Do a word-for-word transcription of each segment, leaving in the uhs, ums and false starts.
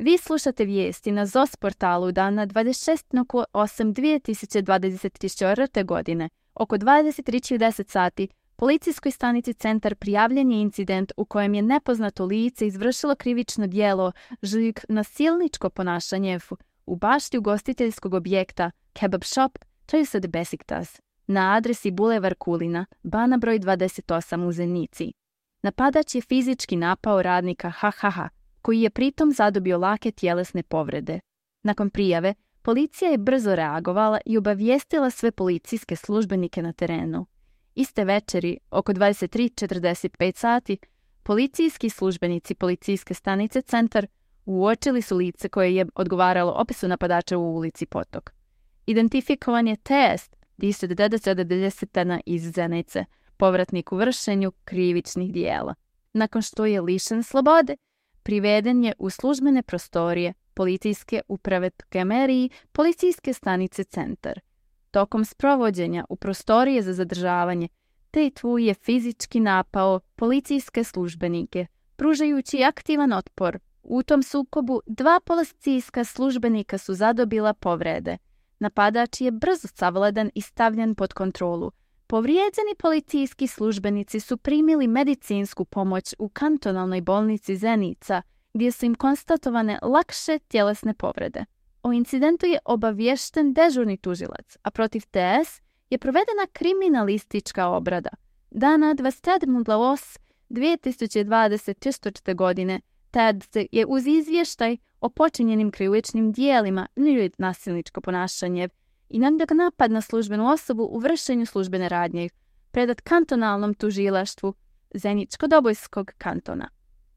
Vi slušate vijesti na Z O S portalu dana dvadeset šestog osmog dvije tisuće dvadeset četvrte. godine. Oko dvadeset tri i deset sati policijskoj stanici Centar prijavljen je incident u kojem je nepoznato lice izvršilo krivično djelo žig nasilničko ponašanje u bašti ugostiteljskog objekta Kebab Shop trideset Besiktas na adresi Bulevar Kulina, Bana broj dvadeset osam u Zenici. Napadač je fizički napao radnika ha ha ha, koji je pritom zadobio lake tjelesne povrede. Nakon prijave, policija je brzo reagovala i obavijestila sve policijske službenike na terenu. Iste večeri, oko dvadeset tri i četrdeset pet sati, policijski službenici policijske stanice Centar uočili su lice koje je odgovaralo opisu napadača u ulici Potok. Identifikovan je test deset devedeset iz Zenice, povratnik u vršenju krivičnih dijela. Nakon što je lišen slobode, priveden je u službene prostorije policijske uprave Kemeriji policijske stanice Centar. Tokom sprovođenja u prostorije za zadržavanje, Tejtvu je fizički napao policijske službenike, pružajući aktivan otpor. U tom sukobu dva policijska službenika su zadobila povrede. Napadač je brzo savladan i stavljen pod kontrolu. Povrijeđeni policijski službenici su primili medicinsku pomoć u kantonalnoj bolnici Zenica, gdje su im konstatovane lakše tjelesne povrede. O incidentu je obaviješten dežurni tužilac, a protiv T S je provedena kriminalistička obrada. Dana dvadeset sedmog osmog dvije tisuće dvadeset četvrte. godine Ted je uz izvještaj o počinjenim krivičnim dijelima ili nasilničko ponašanje i napad na službenu osobu u vršenju službene radnje predat kantonalnom tužilaštvu Zeničko-Dobojskog kantona.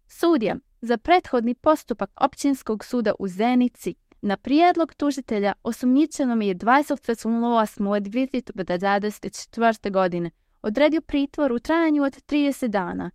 Sudija za prethodni postupak općinskog suda u Zenici na prijedlog tužitelja osumnjičenom je dvadeset osmog dvije tisuće dvadeset četvrte. godine odredio pritvor u trajanju od trideset dana